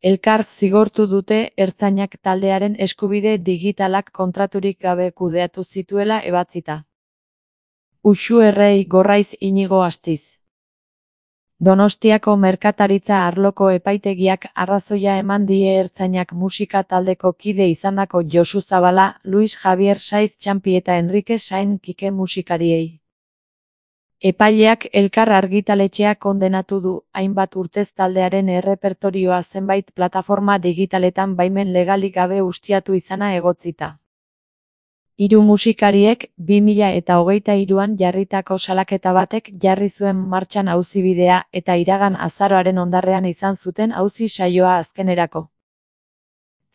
Elkar zigortu dute ertzainak taldearen eskubide digitalak kontraturik gabe kudeatu zituela ebatzita. Uxu Errei Gorraiz Inigo Astiz. Donostiako merkataritza arloko epaitegiak arrazoia eman die ertzainak musika taldeko kide izandako Josu Zabala, Luis Javier Saiz Txampi eta Enrique Sain Kike musikariei. Epaileak Elkar argitaletxea kondenatu du, hainbat urtez taldearen errepertorioa zenbait plataforma digitaletan baimen legalik gabe ustiatu izana egotzita. Hiru musikariek 2023an jarritako salaketa batek jarri zuen martxan auzibidea eta iragan azaroaren ondarrean izan zuten auzi saioa azkenerako.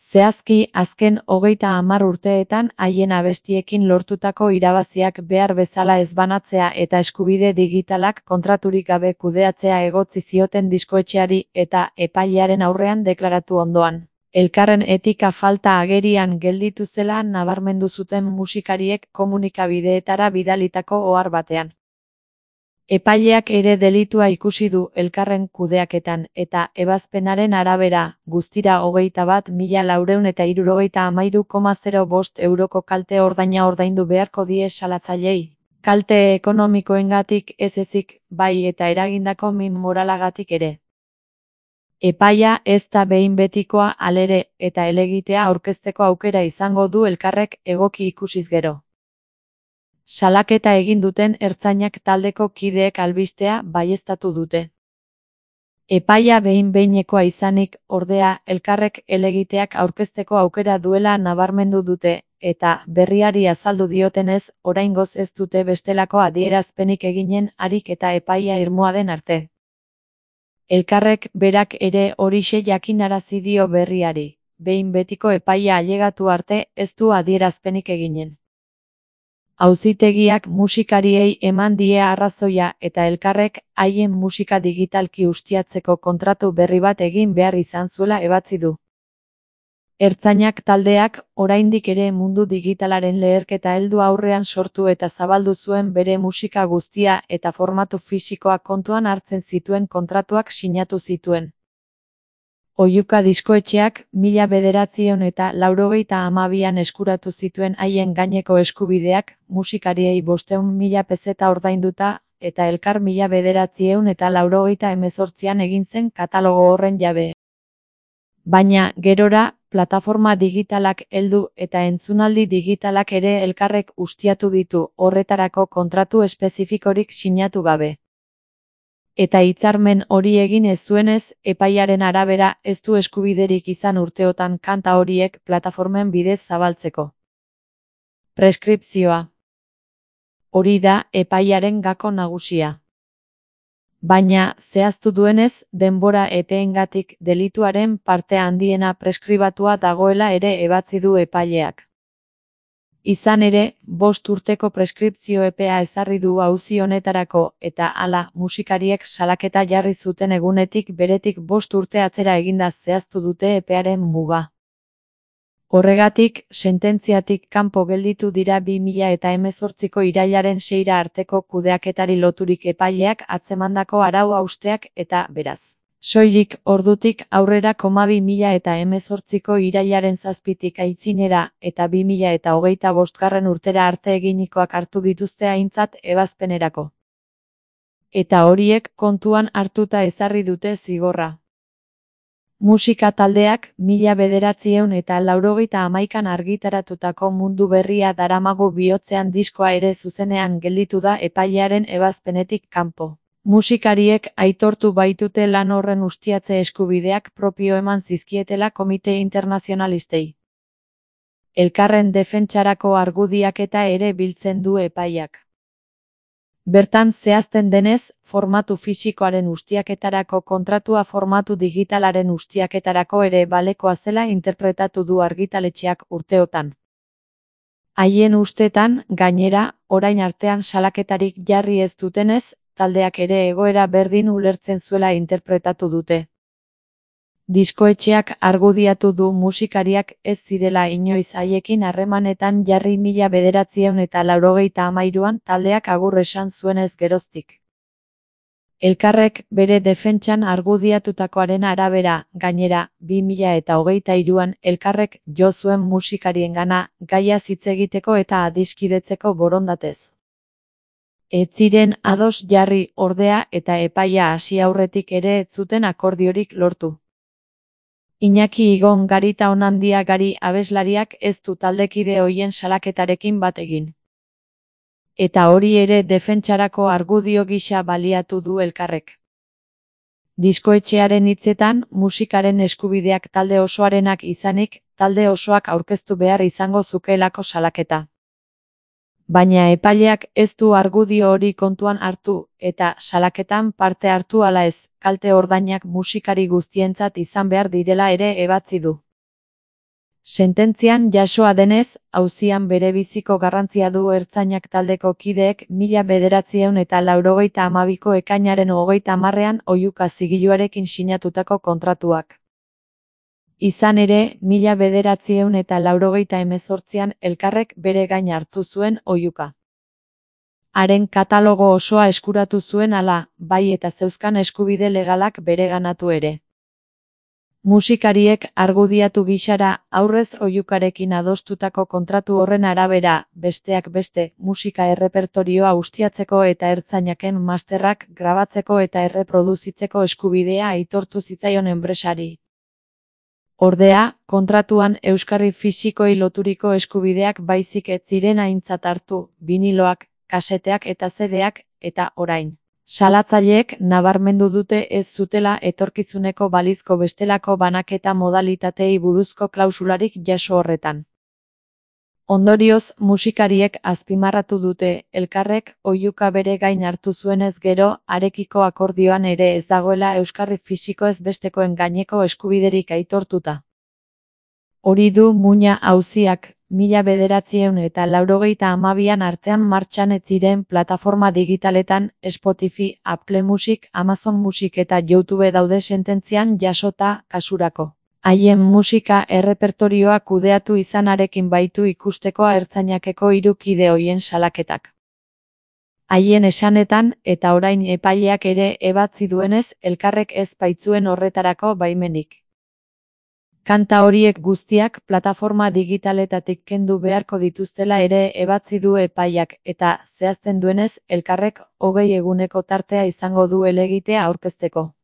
Zehazki, azken 30 urteetan haien abestiekin lortutako irabaziak behar bezala ez banatzea eta eskubide digitalak kontraturik gabe kudeatzea egotzi zioten diskoetxeari eta epailearen aurrean deklaratu ondoan. Elkarren etika falta agerian gelditu zela nabarmendu zuten musikariek komunikabideetara bidalitako ohar batean. Epaileak ere delitua ikusi du elkarren kudeaketan eta ebazpenaren arabera, guztira 21.473,05 euroko kalte ordaina ordaindu beharko die salatzaileei. Kalte ekonomikoengatik ez ezik, bai eta eragindako min moralagatik ere. Epaia ez da behin betikoa halere eta helegitea aurkezteko aukera izango du elkarrek egoki ikusiz gero. Salaketa egin duten ertzainak taldeko kideek albistea baieztatu dute. Epaia behin-behinekoa izanik, ordea, elkarrek helegiteak aurkezteko aukera duela nabarmendu dute, eta berriari azaldu diotenez, oraingoz ez dute bestelako adierazpenik eginen harik eta epaia irmoa den arte. Elkarrek berak ere horixe jakinarazi dio berriari, behin betiko epaia ailegatu arte ez du adierazpenik eginen. Auzitegiak musikariei eman die arrazoia eta elkarrek haien musika digitalki ustiatzeko kontratu berri bat egin behar izan zuela ebatzi du. Ertzainak taldeak oraindik ere mundu digitalaren leherketa heldu aurrean sortu eta zabaldu zuen bere musika guztia eta formatu fisikoak kontuan hartzen zituen kontratuak sinatu zituen. Oihuka diskoetxeak 1982an eskuratu zituen haien gaineko eskubideak, musikariei 500.000 pezeta ordainduta, eta elkar 1998an egin zen katalogo horren jabe. Baina, gerora, plataforma digitalak heldu eta entzunaldi digitalak ere elkarrek ustiatu ditu, horretarako kontratu espezifikorik sinatu gabe. Eta hitzarmen hori egin ez zuenez, epaiaren arabera ez du eskubiderik izan urteotan kanta horiek plataformen bidez zabaltzeko. Preskripzioa. Hori da epaiaren gako nagusia. Baina, zehaztu duenez, denbora epeengatik delituaren parte handiena preskribatua dagoela ere ebatzi du epaileak. Izan ere, 5 urteko preskripzio epea ezarri du auzi honetarako eta hala musikariek salaketa jarri zuten egunetik beretik 5 urte atzera eginda zehaztu dute epearen muga. Horregatik, sententziatik kanpo gelditu dira 2018ko irailaren 6 arteko kudeaketari loturik epaileak atzemandako arau hausteak eta, beraz, soilik ordutik aurrera 2018ko irailaren 7tik aitzinera eta 2025 urtera arte eginikoak hartu dituzte aintzat ebazpenerako. Eta horiek kontuan hartuta ezarri dute zigorra. Musika taldeak 1991an argitaratutako mundu berria daramagu bihotzean diskoa ere zuzenean gelditu da epailearen ebazpenetik kanpo. Musikariek aitortu baitute lan horren ustiatze eskubideak propio eman zizkietela komite internazionalistei. Elkarren defentsarako argudiaketa ere biltzen du epaiak. Bertan zehazten denez, formatu fisikoaren ustiaketarako kontratua formatu digitalaren ustiaketarako ere balekoa zela interpretatu du argitaletxeak urteotan. Haien ustetan, gainera, orain artean salaketarik jarri ez dutenez, taldeak ere egoera berdin ulertzen zuela interpretatu dute. Diskoetxeak argudiatu du musikariak ez zirela inoiz haiekin harremanetan jarri 1993an taldeak agur esan zuenez geroztik. Elkarrek bere defentsan argudiatutakoaren arabera, gainera, 2023an elkarrek jo zuen musikariengana gaiaz hitz egiteko eta adiskidetzeko borondatez. Ez ziren ados jarri, ordea, eta epaia hasi aurretik ere ez zuten akordiorik lortu. Iñaki Igon Garita Onandia Gari abeslariak ez du taldekide ohien salaketarekin bat egin. Eta hori ere defentsarako argudio gisa baliatu du elkarrek. Diskoetxearen hitzetan, musikaren eskubideak talde osoarenak izanik, talde osoak aurkeztu behar izango zukeelako salaketa. Baina epaileak ez du argudio hori kontuan hartu, eta salaketan parte hartu ala ez, kalte ordainak musikari guztientzat izan behar direla ere ebatzi du. Sententzian jasoa denez, auzian berebiziko garrantzia du ertzainak taldeko kideek 1992ko ekainaren 30ean oihuka zigiluarekin sinatutako kontratuak. Izan ere, 1998an elkarrek bere gain hartu zuen oihuka. Haren katalogo osoa eskuratu zuen hala, bai eta zeuzkan eskubide legalak bereganatu ere. Musikariek argudiatu gisara, aurrez oihukarekin adostutako kontratu horren arabera, besteak beste, musika errepertorioa ustiatzeko eta ertzainaken masterrak grabatzeko eta erreproduzitzeko eskubidea aitortu zitzaion enpresari. Ordea, kontratuan euskarri fisikoi loturiko eskubideak baizik ez ziren aintzat hartu, biniloak, kaseteak eta CD-ak, eta orain. Salatzaileek nabarmendu dute ez zutela etorkizuneko balizko bestelako banaketa modalitatei buruzko klausularik jaso horretan. Ondorioz, musikariek azpimarratu dute, elkarrek oihuka bere gain hartu zuenez gero, harekiko akordioan ere ez dagoela euskarri fisikoez bestekoen gaineko eskubiderik aitortuta. Hori du muina auziak, 1992an artean martxan ez ziren plataforma digitaletan, Spotify, Apple Music, Amazon Music eta YouTube daude sententzian jasota, kasurako. Haien musika errepertorioa kudeatu izanarekin baitu ikustekoa ertzainakeko 3 kide ohien salaketak. Haien esanetan, eta orain epaileak ere ebatzi duenez, elkarrek ez baitzuen horretarako baimenik. Kanta horiek guztiak plataforma digitaletatik kendu beharko dituztela ere ebatzi du epaileak, eta zehazten duenez, elkarrek 20 eguneko tartea izango du helegitea aurkezteko.